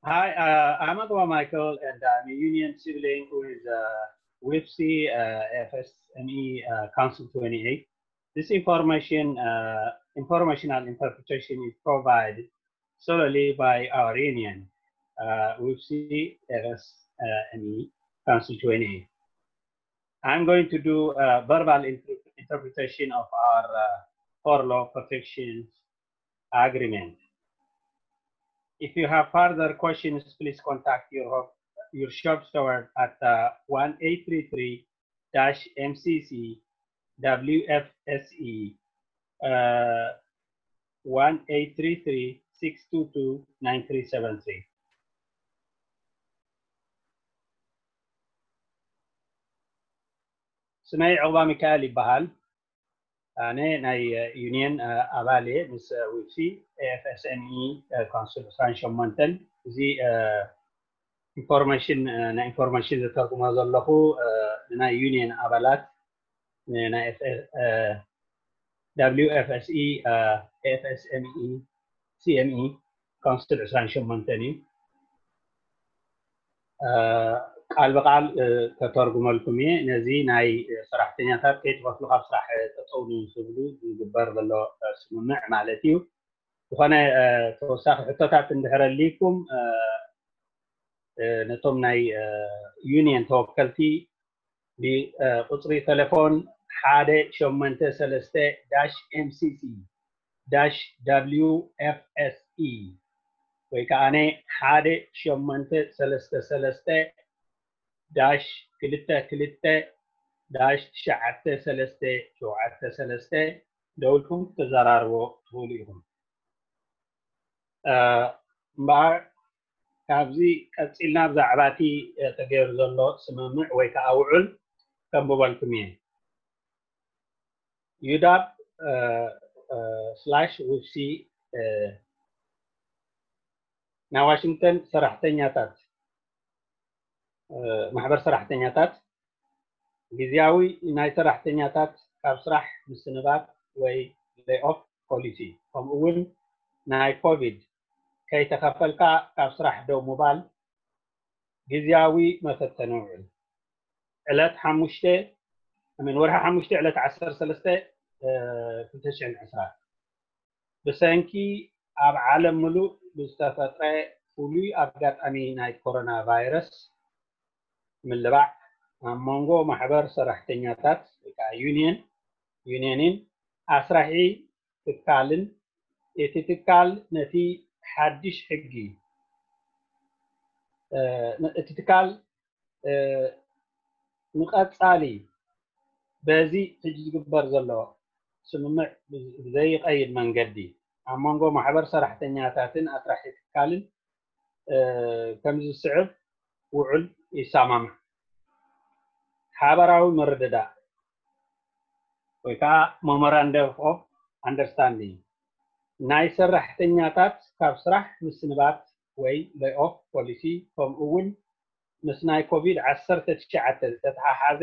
Hi, uh, I'm Agwa Michael, and I'm a union sibling with uh, WIFC uh, F S M E uh, Council twenty-eight. This information, uh, informational interpretation is provided solely by our union, uh, WIFC F S M E Council twenty-eight. I'm going to do a verbal inter- interpretation of our uh, furlough protection agreement. If you have further questions, please contact your, your shop steward at uh, one eight three three dash M C C W F S E uh, one eight three three six two two nine three seven three. ስመይ ዕቑባ ሚካኤል ይበሃል። ኣነ ናይ ዩኒየን ኣባል እየ ምስ ዊፍሲ ኤፍኤስኤምኢ ካውንስል ዕስራን ሸሞንተን። እዚ ኢንፎርሜሽን ናይ ኢንፎርሜሽን ዘተርጉሞ ዘለኹ ንናይ ዩኒየን ኣባላት ንናይ WFSE FSME CME ካውንስል ዕስራን ሸሞንተን እዩ። ቃል ብቃል ከተርጉመልኩም እየ። ነዚ ናይ ሰራሕተኛታት ከይትኸፍሉ ካብ ስራሕ ጠጠው ንክብሉ ዝግበር ዘሎ ስምምዕ ማለት እዩ። ዝኾነ ተወሳኺ ሕቶታት እንድሕር ኣልይኩም ነቶም ናይ ዩኒየን ተወከልቲ ብቁፅሪ ቴሌፎን ሓደ ሸሞንተ ሰለስተ ዳሽ ኤምሲሲ ዳሽ ደብሊው ኤፍ ኤስ ኢ ወይ ከዓ ሓደ ሸሞንተ ሰለስተ ሰለስተ ዳሽ ክልተ ክልተ ዳሽ ትሽዓተ ሰለስተ ሸውዓተ ሰለስተ ደውልኩም ክትዘራርቦ ትኽእሉ ኢኹም። እምበኣር ካብዚ ቀፂልና ብዛዕባ እቲ ተገይሩ ዘሎ ስምምዕ ወይ ከዓ ውዕል ከንብበልኩም እየ። ዩዳብ ስላሽ ውፍሲ ናይ ዋሽንግተን ሰራሕተኛታት ማሕበር ሰራሕተኛታት ግዝያዊ ናይ ሰራሕተኛታት ካብ ስራሕ ምስንባት ወይ ሌይ ኦፍ ፖሊሲ ከምኡ እውን ናይ ኮቪድ ከይተኸፈልካ ካብ ስራሕ ደው ምባል ግዝያዊ መፈተኒ ውዕል ዕለት ሓሙሽተ ምን ወርሒ ሓሙሽተ ዕለት ዓሰርተ ሰለስተ ክልተ ሽሕን ዕስራ ብሰንኪ ኣብ ዓለም ምሉእ ብዝተፈጥረ ፍሉይ ኣጋጣሚ ናይ ኮሮና ቫይረስ ምልባዕ ኣብ መንጎ ማሕበር ሰራሕተኛታት ወይ ከዓ ዩኒየን ዩኒየንን ኣስራሒ ትካልን እቲ ትካል ነቲ ሓድሽ ሕጊ እቲ ትካል ንቐፃሊ በዚ ሕጂ ዝግበር ዘሎ ስምምዕ ብዘይቀይድ መንገዲ ኣብ መንጎ ማሕበር ሰራሕተኛታትን ኣስራሒ ትካልን ከምዚ ዝስዕብ ውዕል ይሰማማዕ። ሓበራዊ ምርድዳእ ወይ ከዓ ሞሞራንደም ኦፍ ኣንደርስታንዲንግ ናይ ሰራሕተኛታት ካብ ስራሕ ምስንባት ወይ ሌይ ኦፍ ፖሊሲ ከምኡ እውን ምስ ናይ ኮቪድ ዓሰርተ ትሽዓተ ዝተተሓሓዘ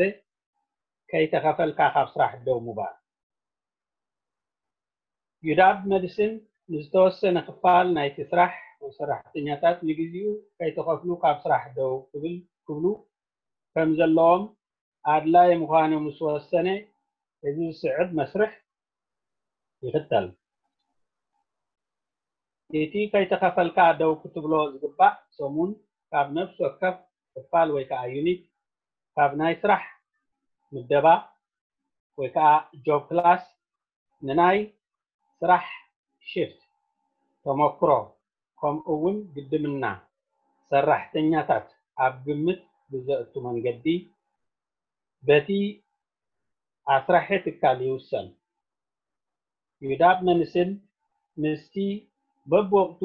ከይተኸፈልካ ካብ ስራሕ ደው ምባል። ዩዳብ መድስን ንዝተወሰነ ክፋል ናይቲ ስራሕ ወይ ሰራሕተኛታት ንግዜኡ ከይተኸፍሉ ካብ ስራሕ ደው ክብል ክብሉ ከም ዘለዎም ኣድላይ ምዃኑ ምስ ወሰነ እዚ ዝስዕብ መስርሕ ይኽተል። እቲ ከይተኸፈልካ ደው ክትብሎ ዝግባእ ሰሙን ካብ ነፍሲ ወከፍ ክፋል ወይ ከዓ ዩኒት ካብ ናይ ስራሕ ምደባ ወይ ከዓ ጆብ ክላስ ንናይ ስራሕ ሽፍት ተመክሮ ከምኡ እውን ግድምና ሰራሕተኛታት ኣብ ግምት ብዘእቱ መንገዲ በቲ ኣስራሒ ትካል ይውሰን። ዩዳብ መንስን ምስቲ በብወቅቱ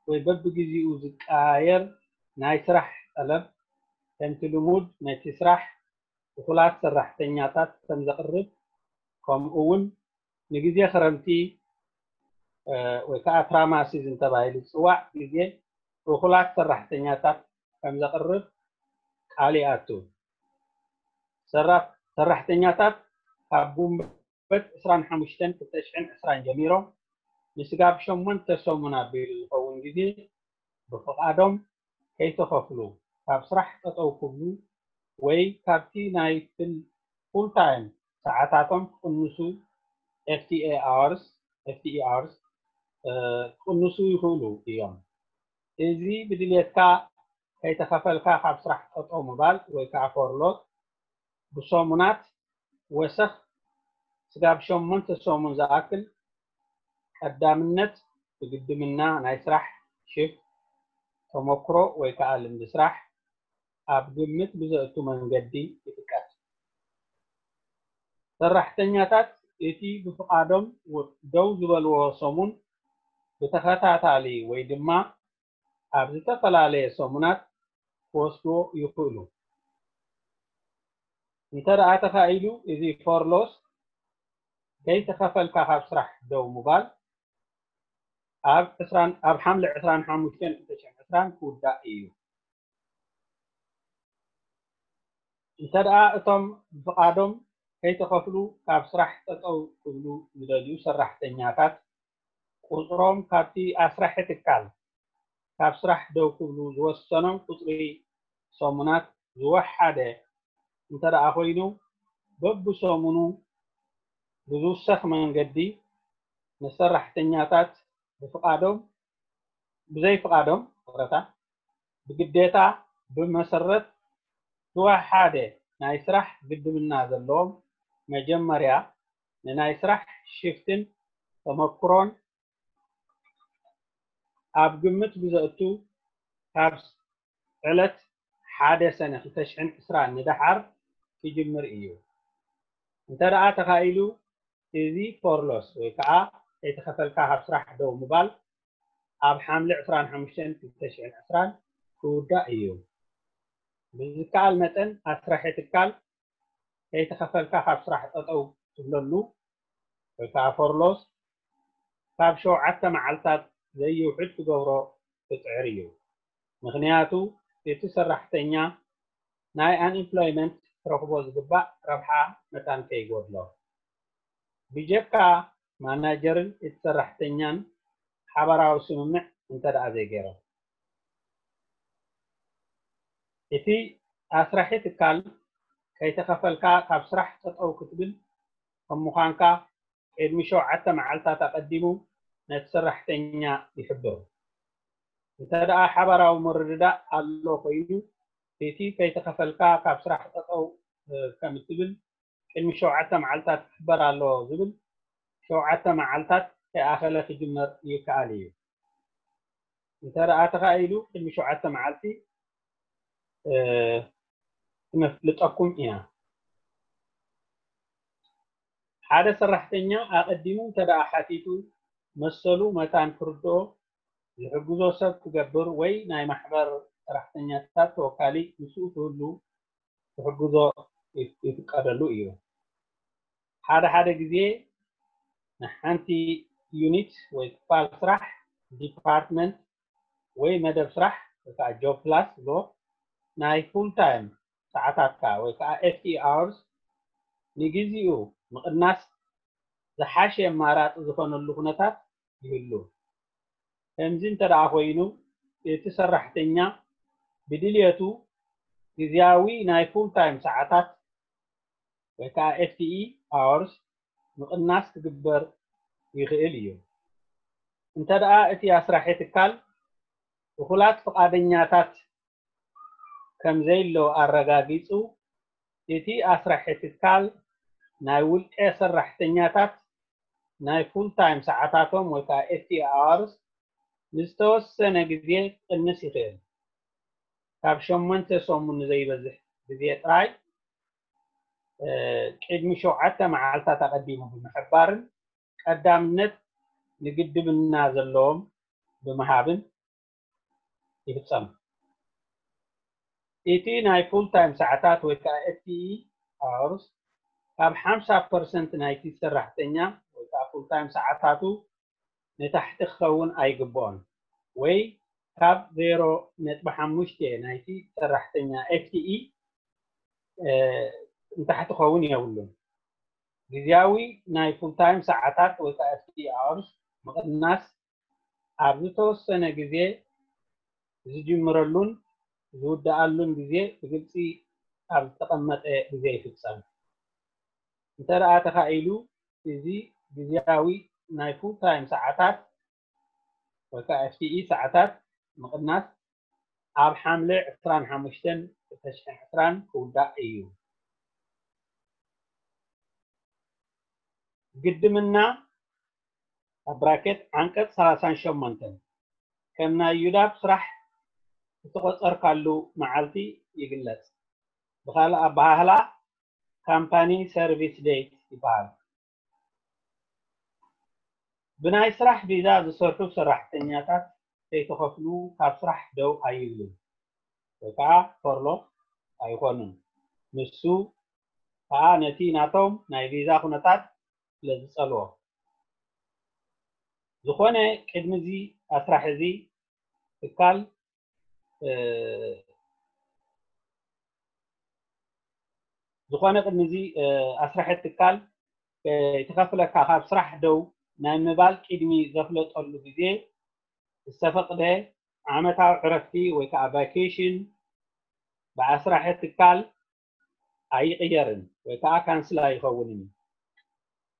ወይ በብግዜኡ ዝቀያየር ናይ ስራሕ ጠለብ ከምቲ ልሙድ ነቲ ስራሕ እኹላት ሰራሕተኛታት ከም ዘቕርብ ከምኡ እውን ንግዜ ክረምቲ ወይ ከዓ ትራማ ሲዝን ተባሂሉ ዝፅዋዕ ግዜ እኹላት ሰራሕተኛታት ከም ዘቕርብ ቃል ይኣቱ። ሰራሕተኛታት ካብ ጉንበት ዕስራን ሓሙሽተን ክልተ ሽሕን ዕስራን ጀሚሮም ንስጋብ ሸሞንተ ሰሙን ኣቢሉ ዝኸውን ግዜ ብፍቓዶም ከይተኸፍሉ ካብ ስራሕ ጠጠው ክብሉ ወይ ካብቲ ናይ ፍል- full time ሰዓታቶም ክቕንሱ F T A hours F T E hours ክቕንሱ ይኽእሉ እዮም። እዚ ብድልየትካ ከይተኸፈልካ ካብ ስራሕ ጠጠው ምባል ወይ ከዓ ፈርሎት ብሰሙናት ወሰኽ ስጋብ ሸሞንተ ሰሙን ዝኣክል ቀዳምነት ብግድምና ናይ ስራሕ ሽፍት ተመክሮ ወይ ከዓ ልምዲ ስራሕ ኣብ ግምት ብዘእቱ መንገዲ ይጥቀስ። ሰራሕተኛታት እቲ ብፍቓዶም ደው ዝበልዎ ሰሙን ብተኸታታሊ ወይ ድማ ኣብ ዝተፈላለየ ሰሙናት ክወስድዎ ይኽእሉ። እንተ ደኣ ተኻኢሉ እዚ ፈርሎስ ከይተኸፈልካ ካብ ስራሕ ደው ምባል ኣብ ዕስራን ኣብ ሓምለ ዕስራን ሓሙሽተን ክልተ ሽሕን ዕስራን ክውዳእ እዩ። እንተ ደኣ እቶም ብፍቓዶም ከይተኸፍሉ ካብ ስራሕ ጠጠው ክብሉ ዝደልዩ ሰራሕተኛታት ቁፅሮም ካብቲ ኣስራሒ ትካል ካብ ስራሕ ደው ክብሉ ዝወሰኖም ቁፅሪ ሰሙናት ዝወሓደ እንተ ደኣ ኮይኑ በብሰሙኑ ብዝውሰኽ መንገዲ ንሰራሕተኛታት ብፍቓዶም ብዘይፍቓዶም ይቕረታ ብግዴታ ብመሰረት ዝወሓደ ናይ ስራሕ ግድምና ዘለዎም መጀመርያ ንናይ ስራሕ ሽፍትን ተመክሮን ኣብ ግምት ብዘእቱ ካብ ዕለት ሓደ ሰነ ክልተ ሽሕን ዕስራን ንደሓር ክጅምር እዩ። እንተ ደኣ ተኻኢሉ እዚ ፎርሎስ ወይ ከዓ ከይተኸፈልካ ካብ ስራሕ ደው ምባል ኣብ ሓምለ ዕስራን ሓሙሽተን ክልተ ሽሕን ዕስራን ክውዳእ እዩ። ብዝከኣል መጠን ኣስራሒ ትካል ከይተኸፈልካ ካብ ስራሕ ጠጠው ትብለሉ ወይ ከዓ ፎርሎስ ካብ ሸውዓተ መዓልታት ዘይውሕድ ክገብሮ ክፅዕር እዩ። ምኽንያቱ እቲ ሰራሕተኛ ናይ ኣንኢምፕሎይመንት ክረኽቦ ዝግባእ ረብሓ መታን ከይጎድሎ ብጀካ ማናጀርን እቲ ሰራሕተኛን ሓባራዊ ስምምዕ እንተ ደኣ ዘይገይሮም። እቲ ኣስራሒ ትካል ከይተኸፈልካ ካብ ስራሕ ጠጠው ክትብል ከም ምዃንካ ቅድሚ ሸውዓተ መዓልታት ኣቐዲሙ ነቲ ሰራሕተኛ ይሕብር። እንተ ደኣ ሓባራዊ ምርድዳእ ኣሎ ኮይኑ እቲ ከይተኸፈልካ ካብ ስራሕ ጠጠው ከም እትብል ቅድሚ ሸውዓተ መዓልታት ክሕበር ኣለዎ ዝብል ሸውዓተ መዓልታት ከይኣኸለ ክጅመር ይከኣል እዩ። እንተ ደኣ ተኻኢሉ ቅድሚ ሸውዓተ መዓልቲ ክነፍልጠኩም ኢና። ሓደ ሰራሕተኛ ኣቐዲሙ እንተ ደኣ ሓቲቱ መሰሉ መታን ክርድኦ ዝሕግዞ ሰብ ክገብር ወይ ናይ ማሕበር ሰራሕተኛታት ተወካሊ ምስኡ ክህሉ ክሕግዞ ይፍቀደሉ እዩ። ሓደ ሓደ ግዜ ንሓንቲ ዩኒት ወይ ክፋል ስራሕ ዲፓርትመንት ወይ መደብ ስራሕ ወይ ከዓ ጆብ ክላስ ዝብሎ ናይ ፉል ታይም ሰዓታትካ ወይ ከዓ F T E hours ንግዚኡ ምቕናስ ዝሓሸ ኣማራፂ ዝኾነሉ ኩነታት ይህሉ። ከምዚ እንተ ደኣ ኮይኑ እቲ ሰራሕተኛ ብድልየቱ ግዝያዊ ናይ ፉል ታይም ሰዓታት ወይ ከዓ F T E hours ምቕናስ ክግበር ይኽእል እዩ። እንተ ደኣ እቲ ኣስራሒ ትካል እኹላት ፍቓደኛታት ከም ዘይሎ ኣረጋጊጹ እቲ ኣስራሒ ትካል ናይ ውልቀ ሰራሕተኛታት ናይ ፉል ታይም ሰዓታቶም ወይ ከዓ F T E hours ንዝተወሰነ ግዜ ክቕንስ ይኽእል። ካብ ሸሞንተ ሰሙን ንዘይበዝሕ ግዜ ጥራይ ቅድሚ ሸውዓተ መዓልታት ኣቐዲሙ ብምሕባርን ቀዳምነት ንግድምና ዘለዎም ብምሃብን ይፍጸም። እቲ ናይ ፉል ታይም ሰዓታት ወይ ከዓ F T E hours ካብ ሓምሳ ፐርሰንት ናይቲ ሰራሕተኛ ወይ ከዓ ፉል ታይም ሰዓታቱ ንታሕቲ ክኸውን ኣይግብኦን ወይ ካብ ዜሮ ነጥቢ ሓሙሽተ ናይቲ ሰራሕተኛ F T E ንታሕቲ ክኸውን የብሉን። ግዝያዊ ናይ ፉል ታይም ሰዓታት ወይ ከዓ F T E hours ምቕናስ ኣብ ዝተወሰነ ግዜ ዝጅምረሉን ዝውድኣሉን ግዜ ብግልፂ ኣብ ዝተቐመጠ ግዜ ይፍፀም። እንተ ደኣ ተኻኢሉ፣ እዚ ግዝያዊ ናይ ፉል ታይም ሰዓታት ወይ ከዓ ኤፍ ቲ ኢ ሰዓታት ምቕናስ ኣብ ሓምለ ዕስራን ሓሙሽተን ክልተ ሽሕን ዕስራን ክውዳእ እዩ። ግድምና ኣብ ብራኬት ዓንቀፅ ሰላሳን ሸሞንተን ከም ናይ ዩዳብ ስራሕ ዝተቖፀርካሉ መዓልቲ ይግለፅ። ብኻልእ ኣበሃህላ ካምፓኒ ሰርቪስ ዴት ይበሃል። ብናይ ስራሕ ቪዛ ዝሰርሑ ሰራሕተኛታት ከይተኸፍሉ ካብ ስራሕ ደው ኣይብሉን ወይ ከዓ ፈርሎ ኣይኾኑን። ንሱ ከዓ ነቲ ናቶም ናይ ቪዛ ኩነታት ስለ ዝጸልዎ። ዝኾነ ቅድሚ እዚ ኣስራሕ እዚ ትካል ዝኾነ ቅድሚ እዚ ኣስራሒ ትካል ከይተኸፍለካ ካብ ስራሕ ደው ናይ ምባል ቅድሚ ዘፍለጠሉ ግዜ ዝተፈቕደ ዓመታዊ ዕረፍቲ ወይ ከዓ ቫኬሽን ብኣስራሒ ትካል ኣይቕየርን ወይ ከዓ ካንስል ኣይኸውንን።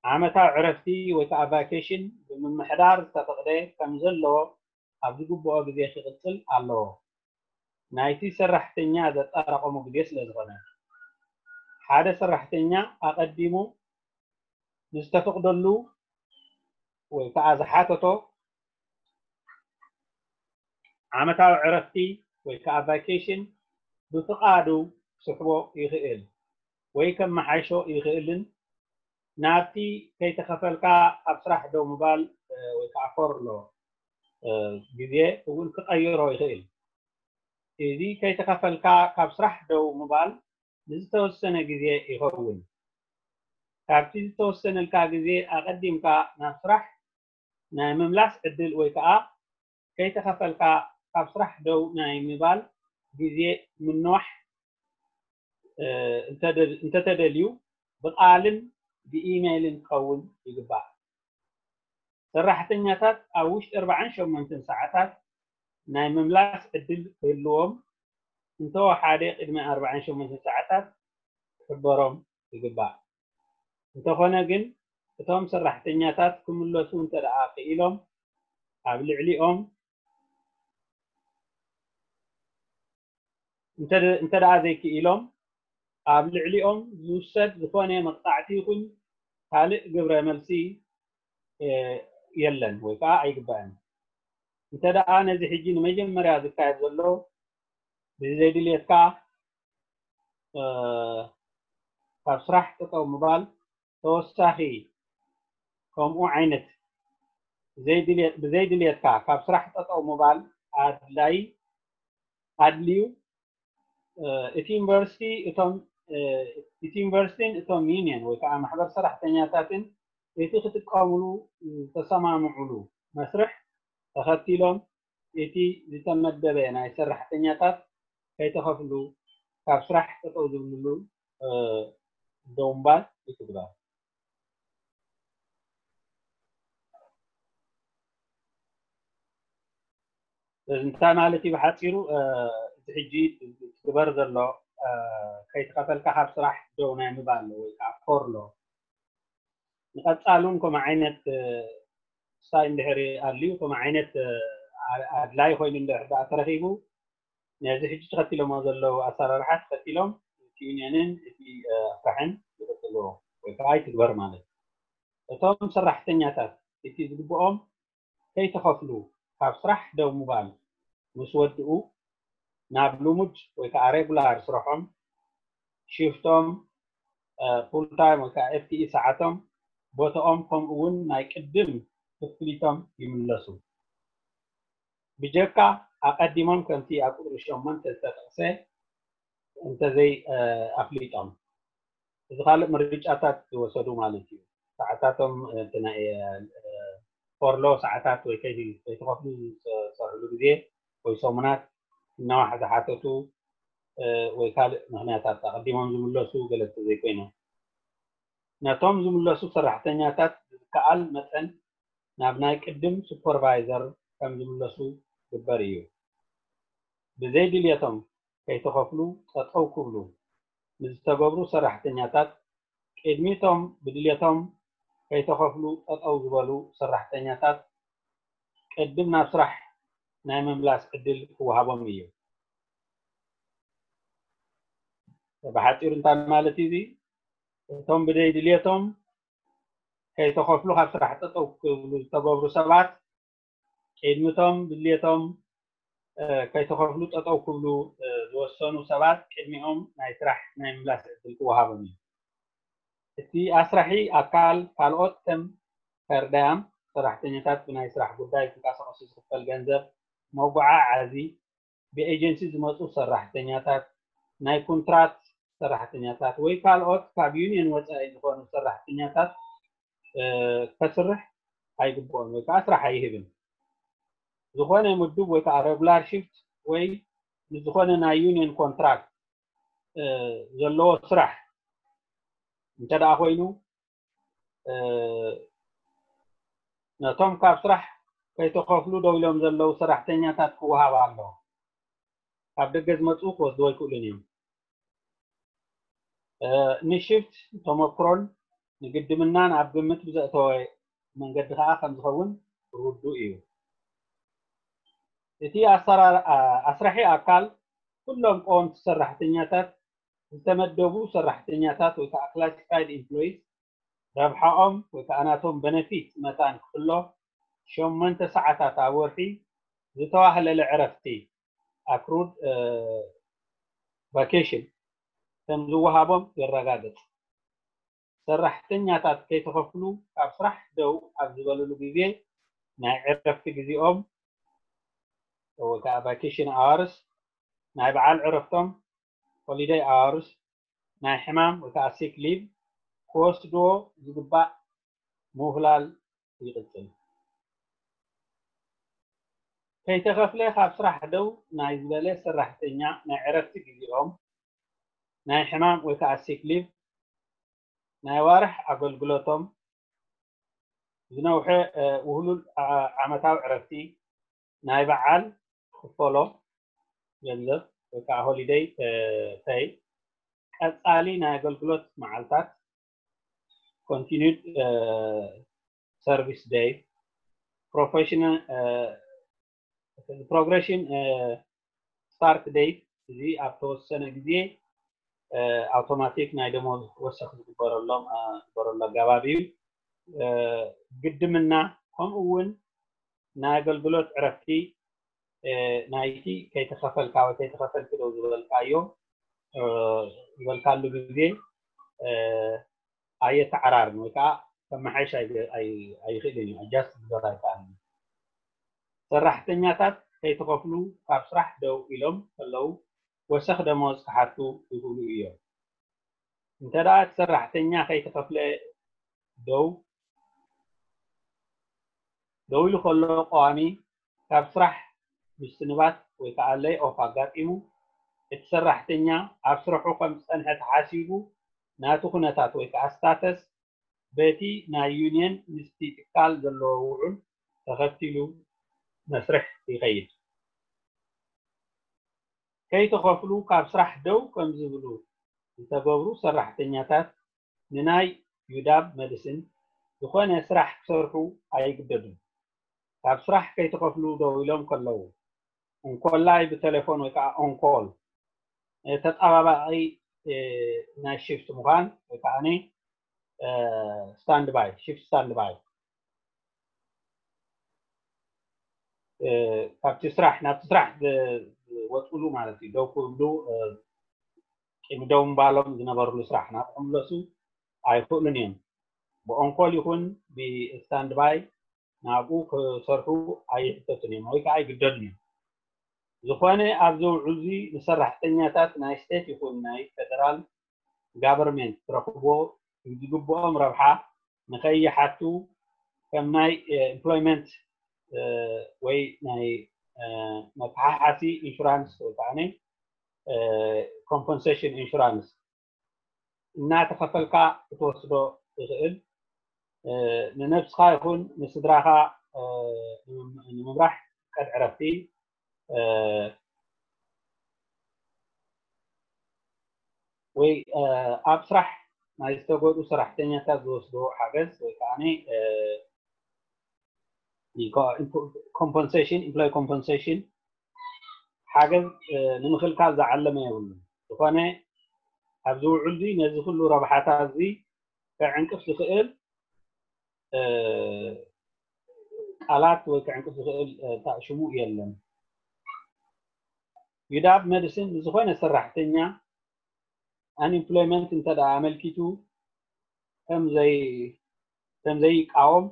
ዓመታዊ ዕረፍቲ ወይ ከዓ ቫኬሽን ብምምሕዳር ዝተፈቕደ ከም ዘሎ ኣብ ዝግብኦ ግዜ ክቕፅል ኣለዎ። ናይቲ ሰራሕተኛ ዘጠራቐሙ ግዜ ስለ ዝኾነ ሓደ ሰራሕተኛ ኣቐዲሙ ንዝተፈቕደሉ ወይ ከዓ ዝሓተቶ ዓመታዊ ዕረፍቲ ወይ ከዓ ቫኬሽን ብፍቓዱ ክስሕቦ ይኽእል ወይ ከመሓይሾ ይኽእልን ናብቲ ከይተኸፈልካ ኣብ ስራሕ ደው ምባል ወይ ከዓ ፈርሎ ግዜ እውን ክቐይሮ ይኽእል። እዚ ከይተኸፈልካ ካብ ስራሕ ደው ምባል ንዝተወሰነ ግዜ ይኸውን። ካብቲ ዝተወሰነልካ ግዜ ኣቐዲምካ ናብ ስራሕ ናይ ምምላስ ዕድል ወይ ከዓ ከይተኸፈልካ ካብ ስራሕ ደው ናይ ምባል ግዜ ምንዋሕ እንተተደልዩ ብቃልን ብኢሜይልን ክኸውን ይግባእ። ሰራሕተኛታት ኣብ ውሽጢ ኣርባዓን ሸሞንተን ሰዓታት ናይ ምምላስ ዕድል ክህልዎም እንተወሓደ ቅድሚ ኣርባዓን ሸሞንተን ሰዓታት ክሕበሮም ይግባእ። እንተኾነ ግን እቶም ሰራሕተኛታት ክምለሱ እንተ ደኣ ክኢሎም ኣብ ልዕሊኦም እንተ ደኣ ዘይክኢሎም ኣብ ልዕሊኦም ዝውሰድ ዝኾነ መቕፃዕቲ ይኹን ካልእ ግብረ መልሲ የለን ወይ ከዓ ኣይግባእን። እንተ ደኣ ነዚ ሕጂ ንመጀመርያ ዝካየድ ዘሎ ብዘይድልየትካ ካብ ስራሕ ጠጠው ምባል ተወሳኺ ከምኡ ዓይነት ብዘይድልየትካ ካብ ስራሕ ጠጠው ምባል ኣድላይ ኣድልዩ እቲ ዩኒቨርሲቲ እቶም እቲ ዩኒቨርሲቲን እቶም ዩኒየን ወይ ከዓ ማሕበር ሰራሕተኛታትን እቲ ክጥቀምሉ ዝተሰማምዑሉ መስርሕ ተኸቲሎም እቲ ዝተመደበ ናይ ሰራሕተኛታት ከይተኸፍሉ ካብ ስራሕ ጠጠው ዝብልሉ ደው ምባል ይትግበር። እንታይ ማለት እዩ ብሓፂሩ? እዚ ሕጂ ትግበር ዘሎ ከይተኸፈልካ ካብ ስራሕ ደው ናይ ምባል ወይ ከዓ ፎርሎ ንቐፃሉን ከምኡ ዓይነት ስታይ እንድሕር ኣልዩ ከምኡ ዓይነት ኣድላይ ኮይኑ እንድሕር ደኣ ተረኺቡ ነዚ ሕጂ ተኸቲሎሞ ዘለዉ ኣሰራርሓ ተኸቲሎም እቲ ዩኒየንን እቲ ኣስራሕን ይቕፅልዎ ወይ ከዓ ይትግበር ማለት እዩ። እቶም ሰራሕተኛታት እቲ ዝግብኦም ከይተኸፍሉ ካብ ስራሕ ደው ምባል ምስ ወድኡ ናብ ልሙድ ወይ ከዓ ሬጉላር ስርሖም ሽፍቶም ፉል ታይም ወይ ከዓ ኤፍ ቲ ኢ ሰዓቶም ቦታኦም ከምኡ እውን ናይ ቅድም ክፍሊቶም ይምለሱ። ብጀካ ኣቐዲሞም ከምቲ ኣብ ቁፅሪ ሸሞንተ ዝተጠቕሰ እንተዘይ ኣፍሊጦም እዚ ካልእ ምርጫታት ዝወሰዱ ማለት እዩ። ሰዓታቶም ፎርሎ ሰዓታት ወይ ከይተኸፍሉ ዝሰርሕሉ ግዜ ወይ ሰሙናት እናዋሕ ዝሓተቱ ወይ ካልእ ምክንያታት ኣቐዲሞም ዝምለሱ ገለ ዘይኮይኖም ነቶም ዝምለሱ ሰራሕተኛታት ብዝከኣል መጠን ናብ ናይ ቅድም ሱፐርቫይዘር ከም ዝምለሱ ግበር እዩ። ብዘይ ድልየቶም ከይተኸፍሉ ጠጠው ክብሉ ንዝተገብሩ ሰራሕተኛታት፣ ቅድሚቶም ብድልየቶም ከይተኸፍሉ ጠጠው ዝበሉ ሰራሕተኛታት ቅድም ናብ ስራሕ ናይ ምምላስ ዕድል ክወሃቦም እዩ። ብሓፂሩ እንታይ ማለት እዩ? እቶም ብዘይ ድልየቶም ከይተኸፍሉ ካብ ስራሕ ጠጠው ክብሉ ዝተገብሩ ሰባት ቅድሚቶም ድልየቶም ከይተኸፍሉ ጠጠው ክብሉ ዝወሰኑ ሰባት ቅድሚኦም ናይ ስራሕ ናይ ምላስ ዕድል ክወሃቦም እዩ። እቲ ኣስራሒ ኣካል ካልኦት ከም ፈርዳያም ሰራሕተኛታት ብናይ ስራሕ ጉዳይ ክንቀሳቀሱ ዝኽፈል ገንዘብ፣ መጓዓዓዚ፣ ብኤጀንሲ ዝመፁ ሰራሕተኛታት፣ ናይ ኮንትራት ሰራሕተኛታት ወይ ካልኦት ካብ ዩኒየን ወፃኢ ዝኾኑ ሰራሕተኛታት ከስርሕ ኣይግብኦን ወይ ከዓ ስራሕ ኣይህብን። ዝኾነ ምዱብ ወይ ከዓ ሬጉላር ሽፍት ወይ ንዝኾነ ናይ ዩኒየን ኮንትራክት ዘለዎ ስራሕ እንተ ደኣ ኮይኑ ነቶም ካብ ስራሕ ከይተኸፍሉ ደው ኢሎም ዘለዉ ሰራሕተኛታት ክወሃብ ኣለዎ። ካብ ደገ ዝመፁ ክወስድዎ ኣይክእሉን እዮም። ንሽፍት ተመክሮን ንግድምናን ኣብ ግምት ብዘእተወ መንገዲ ከዓ ከም ዝኸውን ርዱእ እዩ። እቲ ኣስራሒ ኣካል ኩሎም ቀወምቲ ሰራሕተኛታት፣ ዝተመደቡ ሰራሕተኛታት ወይ ከዓ ክላሲፋይድ ኢምፕሎይስ ረብሓኦም ወይ ከዓ ናቶም በነፊት መታን ክፍሎ ሸሞንተ ሰዓታት ኣብ ወርሒ ዝተዋህለለ ዕረፍቲ ኣክሩድ ቫኬሽን ከም ዝወሃቦም የረጋግፅ። ሰራሕተኛታት ከይተኸፍሉ ካብ ስራሕ ደው ኣብ ዝበልሉ ግዜ ናይ ዕረፍቲ ግዜኦም ወይ ከዓ ቫኬሽን ኣዋርስ፣ ናይ በዓል ዕረፍቶም ሆሊደይ ኣዋርስ፣ ናይ ሕማም ወይ ከዓ ሲክ ሊቭ ክወስድዎ ዝግባእ ምውህላል ይቕፅል። ከይተኸፍለ ካብ ስራሕ ደው ናይ ዝበለ ሰራሕተኛ ናይ ዕረፍቲ ግዜኦም፣ ናይ ሕማም ወይ ከዓ ሲክ ሊቭ፣ ናይ ዋርሕ ኣገልግሎቶም፣ ዝነውሐ ውህሉል ዓመታዊ ዕረፍቲ፣ ናይ በዓል ክፈሎ ገንዘብ ወይ ከዓ ሆሊደይ ፐይ፣ ቀፃሊ ናይ ኣገልግሎት መዓልታት፣ ኮንቲኒድ ሰርቪስ ደይ፣ ፕሮፌሽናል ፕሮግሬሽን ስታርት ደይ፣ እዚ ኣብ ተወሰነ ግዜ ኣውቶማቲክ ናይ ደሞዝ ወሰኽ ዝግበረሎም ዝግበረሉ ኣገባብ እዩ። ግድምና ከምኡ እውን ናይ ኣገልግሎት ዕረፍቲ ናይቲ ከይተኸፈልካ ወይ ከይተኸፈልኪ ደው ዝበልካዮ ዝበልካሉ ግዜ ኣየተዓራርን ወይ ከዓ ከመሓይሽ ኣይኽእልን እዩ፣ ኣጃስት ክገር ኣይከኣልን። ሰራሕተኛታት ከይተኸፍሉ ካብ ስራሕ ደው ኢሎም ከለዉ ወሰኽ ደመወዝ ክሓቱ ይኽእሉ እዮም። እንተ ደኣ እቲ ሰራሕተኛ ከይተኸፍለ ደው ደው ኢሉ ከሎ ቀዋሚ ካብ ስራሕ ምስንባት ወይ ከዓ ለይ ኦፍ ኣጋጢሙ እቲ ሰራሕተኛ ኣብ ስርሑ ከም ዝፀንሐ ተሓሲቡ ናቱ ኩነታት ወይ ከዓ ስታተስ በቲ ናይ ዩኒየን ምስቲ ትካል ዘለዎ ውዑል ተኸቲሉ መስርሕ ይኸይድ። ከይተኸፍሉ ካብ ስራሕ ደው ከም ዝብሉ ዝተገብሩ ሰራሕተኛታት ንናይ ዩዳብ መድስን ዝኾነ ስራሕ ክሰርሑ ኣይግደዱን። ካብ ስራሕ ከይተኸፍሉ ደው ኢሎም ከለዉ እንኮላይ ብቴሌፎን ወይ ከዓ ኦንኮል ተጣባባቂ ናይ ሽፍት ምዃን ወይ ከዓ ስታንድባይ ሽፍት ስታንድባይ ካብቲ ስራሕ ናብቲ ስራሕ ዝወፅሉ ማለት እዩ። ደው ክብሉ ቅድሚ ደው ምባሎም ዝነበርሉ ስራሕ ናብ ክምለሱ ኣይኽእሉን እዮም። ብኦንኮል ይኹን ብስታንድባይ ናብኡ ክሰርሑ ኣይሕተቱን እዮም ወይ ከዓ ኣይግደዱን እዮም። ዝኾነ ኣብዚ ውዕል እዚ ንሰራሕተኛታት ናይ ስቴት ይኹን ናይ ፌደራል ጋቨርንመንት ክረኽብዎ ዝግብኦም ረብሓ ንኸይሓቱ ከም ናይ ኤምፕሎይመንት ወይ ናይ መተሓሓሲ ኢንሹራንስ ወይ ከዓ ኮምፐንሴሽን ኢንሹራንስ እናተኸፈልካ ክትወስዶ ትኽእል ንነብስኻ ይኹን ንስድራኻ ንምምራሕ ቀድ ዕረፍቲ ወይ ኣብ ስራሕ ናይ ዝተጎድኡ ሰራሕተኛታት ዝወስድዎ ሓገዝ ወይ ከዓ compensation employee compensation ሓገዝ ንምክልካል ዝዓለመ የብሉን። ዝኾነ ኣብዚ ውዕል እዚ ነዚ ኩሉ ረብሓታት እዚ ከዕንቅፍ ዝኽእል ቃላት ወይ ከዕንቅፍ ዝኽእል ታእሽሙ የለን። ዩዳብ መድስን ንዝኾነ ሰራሕተኛ unemployment እንተ ደኣ ኣመልኪቱ ከም ዘይቃወም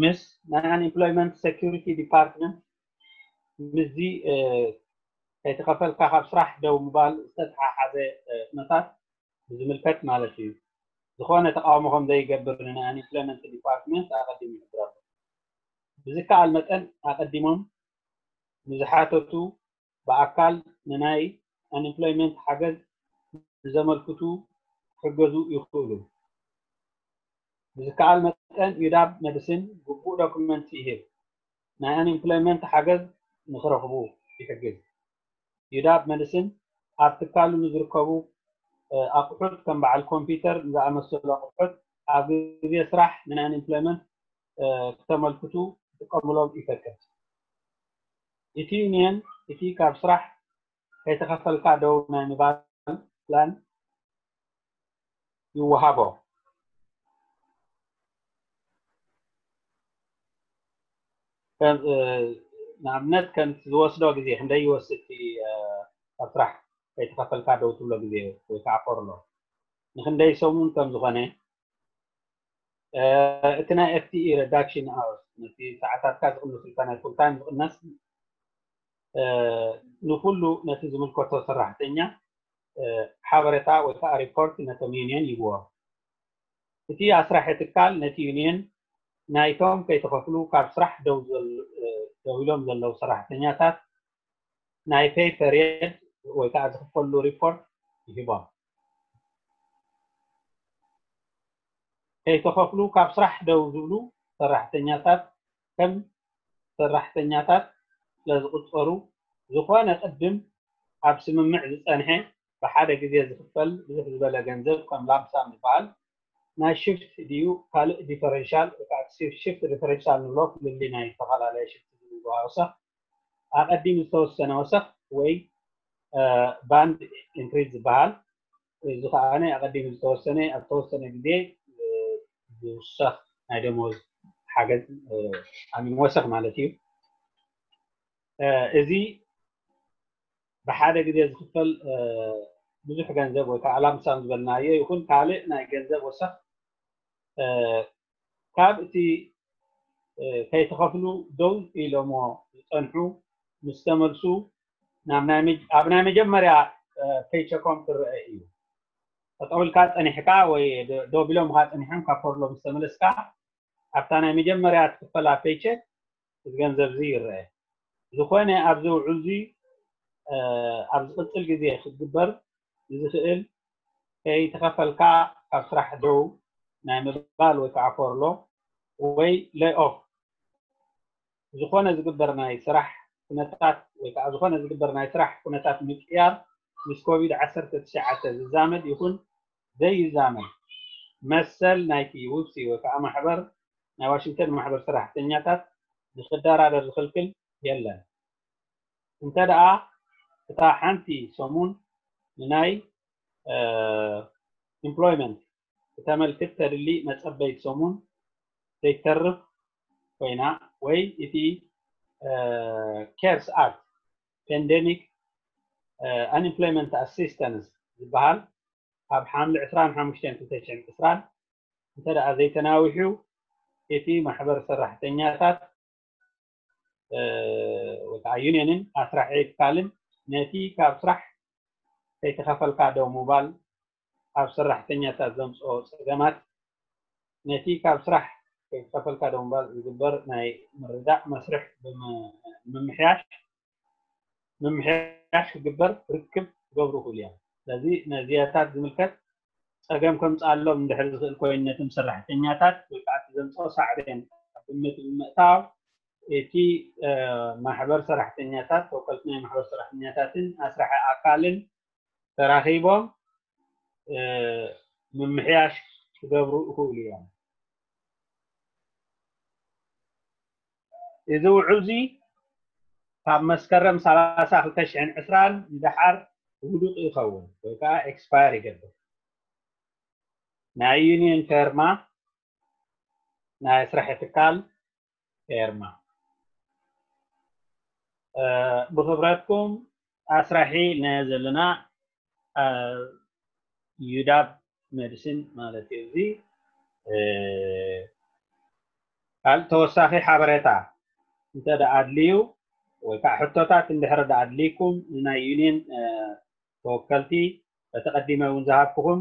ምስ ናይ unemployment security department ምስዚ ከይተኸፈልካ ካብ ስራሕ ደው ምባል ዝተተሓሓዘ ኩነታት ብዝምልከት ማለት እዩ። ዝኾነ ተቃውሞ ከም ዘይገብር ንናይ unemployment department ኣቐዲሙ ይሕብረሉ። ብዝከኣል መጠን ኣቐዲሞም ንዝሓተቱ ብኣካል ንናይ unemployment ሓገዝ ንዘመልክቱ ክሕገዙ ይኽእሉ። ብዝከኣል መጠን ዩዳብ መድስን ግቡእ ዶክመንት ይህብ። ናይ unemployment ሓገዝ ንክረኽቡ ይሕግዝ። ዩዳብ መድስን ኣብ ትካሉ ንዝርከቡ ኣቑሑት ከም በዓል ኮምፒውተር ንዝኣመሰሉ ኣቑሑት ኣብ ግዜ ስራሕ ን unemployment ክተመልክቱ ክጥቀምሎም ይፈቅድ። እቲ ዩኒየን እቲ ካብ ስራሕ ከይተኸፈልካ ደው ናይ ምባል ፕላን ይወሃቦ። ንኣብነት ከም ዝወስዶ ግዜ ክንደይ ይወስድ እቲ ካብ ስራሕ ከይተኸፈልካ ደው ትብሎ ግዜ ወይ ከዓ ፈርሎ ንክንደይ ሰሙን ከም ዝኾነ እቲ ናይ FTE reduction hours ነቲ ሰዓታትካ ዝቕንስልካ ናይ full time ዝቕነስ ንኩሉ ነቲ ዝምልከቶ ሰራሕተኛ ሓበሬታ ወይ ከዓ ሪፖርት ነቶም ዩኒየን ይብዎ። እቲ ኣስራሒ ትካል ነቲ ዩኒየን ናይቶም ከይተኸፍሉ ካብ ስራሕ ደው ኢሎም ዘለዉ ሰራሕተኛታት ናይ pay period ወይ ከዓ ዝኽፈሉ ሪፖርት ይህቦም። ከይተኸፍሉ ካብ ስራሕ ደው ዝብሉ ሰራሕተኛታት ከም ሰራሕተኛታት ስለዝቁፀሩ ዝኾነ ቅድም ኣብ ስምምዕ ዝፀንሐ ብሓደ ግዜ ዝኽፈል ብዙሕ ዝበለ ገንዘብ ከም ላምሳም ዝበሃል ናይ ሽፍት ድዩ ካልእ ዲፈረንሻል ሽፍት ዲፈረንሻል ንብሎ ፍልልይ ናይ ዝተፈላለየ ሽፍት ዝብሉ ወሰኽ ኣቐዲሙ ዝተወሰነ ወሰኽ ወይ ባንድ ኢንክሪዝ ዝበሃል እዚ ከዓ ኣቐዲሙ ዝተወሰነ ኣብ ተወሰነ ግዜ ዝውሰኽ ናይ ደሞዝ ሓገዝ ኣሚን ወሰኽ ማለት እዩ። እዚ ብሓደ ግዜ ዝኽፈል ብዙሕ ገንዘብ ወይ ከዓ ላምሳም ዝበልናዮ ይኹን ካልእ ናይ ገንዘብ ወሰኽ ካብ እቲ ከይተኸፍሉ ደው ኢሎሞ ዝፀንሑ ምስ ተመልሱ ኣብ ናይ መጀመርያ ፔይቸኮም ክረአ እዩ። ጠጠው ኢልካ ፀኒሕካ ወይ ደው ቢሎምካ ፀኒሖም ካብ ፈርሎ ምስ ተመለስካ ኣብታ ናይ መጀመርያ ትኽፈላ ፔይቸክ እዚ ገንዘብ እዚ ይረአ። ዝኾነ ኣብዚ ውዕል እዚ ኣብ ዝቕፅል ግዜ ክግበር ዝኽእል ከይተኸፈልካ ካብ ስራሕ ደው ናይ ምባል ወይ ከዓ ፈርሎ ወይ lay off ዝኾነ ዝግበር ናይ ስራሕ ኩነታት ወይ ከዓ ዝኾነ ዝግበር ናይ ስራሕ ኩነታት ምቅያር ምስ ኮቪድ ዓሰርተ ትሽዓተ ዝዛመድ ይኹን ዘይዛመድ መሰል ናይቲ ውብሲ ወይ ከዓ ማሕበር ናይ ዋሽንግተን ማሕበር ሰራሕተኛታት ንክደራደር ዝኽልክል የለን። እንተ ደኣ እታ ሓንቲ ሰሙን ንናይ employment ክተመልክት ተድሊ መጸበይት ሰሙን ዘይተርፍ ኮይና ወይ እቲ CARES Act Pandemic Unemployment Assistance ዝበሃል ካብ ሓምለ ዕስራን ሓሙሽተን ክልተ ሽሕን ዕስራን እንተ ደኣ ዘይተናዊሑ እቲ ማሕበር ሰራሕተኛታት ወይ ከዓ ዩኒየንን ኣስራሒ ትካልን ነቲ ካብ ስራሕ ከይተኸፈልካ ደው ምባል ኣብ ሰራሕተኛታት ዘምፅኦ ፀገማት ነቲ ካብ ስራሕ ከይተኸፈልካ ደው ምባል ዝግበር ናይ ምርዳእ መስርሕ ብምምሕያሽ ምምሕያሽ ክግበር ርክብ ክገብሩ ይኽእሉ እዮም። ስለዚ ነዚያታት ዝምልከት ፀገም ከምፅኣሎም እንድሕር ዝኽእል ኮይኑ ነቶም ሰራሕተኛታት ወይ ከዓ እቲ ዘምፅኦ ሳዕቤን ኣብ ግምት ብምእታው እቲ ማሕበር ሰራሕተኛታት፣ ተወከልቲ ናይ ማሕበር ሰራሕተኛታትን ኣስራሒ ኣካልን ተራኺቦም ምምሕያሽ ክገብሩ ይኽእሉ እዮም። እዚ ውዕል እዚ ካብ መስከረም ሰላሳ ክልተ ሽሕን ዕስራን ንደሓር ውዱቕ ይኸውን ወይ ከዓ ኤክስፓየር ይገብር። ናይ ዩኒየን ፌርማ፣ ናይ ስራሕ ትካል ፌርማ። ብክብረትኩም ኣስራሒ ናይ ዘለና ዩዳብ መድስን ማለት እዩ። እዚ ካልእ ተወሳኺ ሓበሬታ እንተ ኣድልዩ ወይ ከዓ ሕቶታት እንድሕር ኣድልይኩም ንናይ ዩኒየን ተወከልቲ በተቐዲመ እውን ዝሃብኩኹም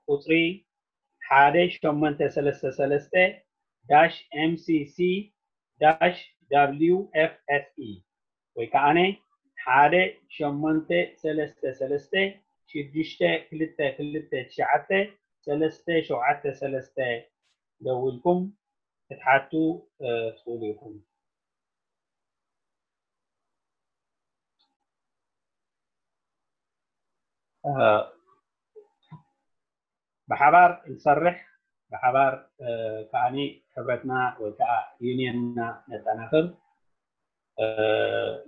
ቁፅሪ ሓደ ሸሞንተ ሰለስተ ሰለስተ ዳሽ ኤምሲሲ ዳሽ ደብሊው ኤፍ ኤስ ኢ ወይ ከዓ ሓደ ሸሞንተ ሰለስተ ሰለስተ ሽዱሽተ ክልተ ክልተ ትሽዓተ ሰለስተ ሸውዓተ ሰለስተ ደዊልኩም ክትሓቱ ትኽእሉ ኢኹም። ብሓባር ንሰርሕ፣ ብሓባር ከዓኒ ሕብረትና ወይ ከዓ ዩኒየንና ነጠናኽር።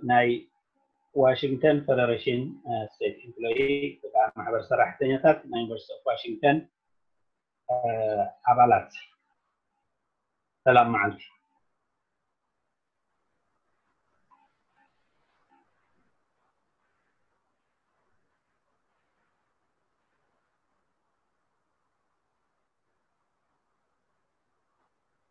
ናይ ዋሽንግተን ፌደሬሽን ስቴት ኤምፕሎይ ወይ ከዓ ማሕበር ሰራሕተኛታት ናይ ዩኒቨርሲቲ ኦፍ ዋሽንግተን ኣባላት፣ ሰላም መዓልቲ።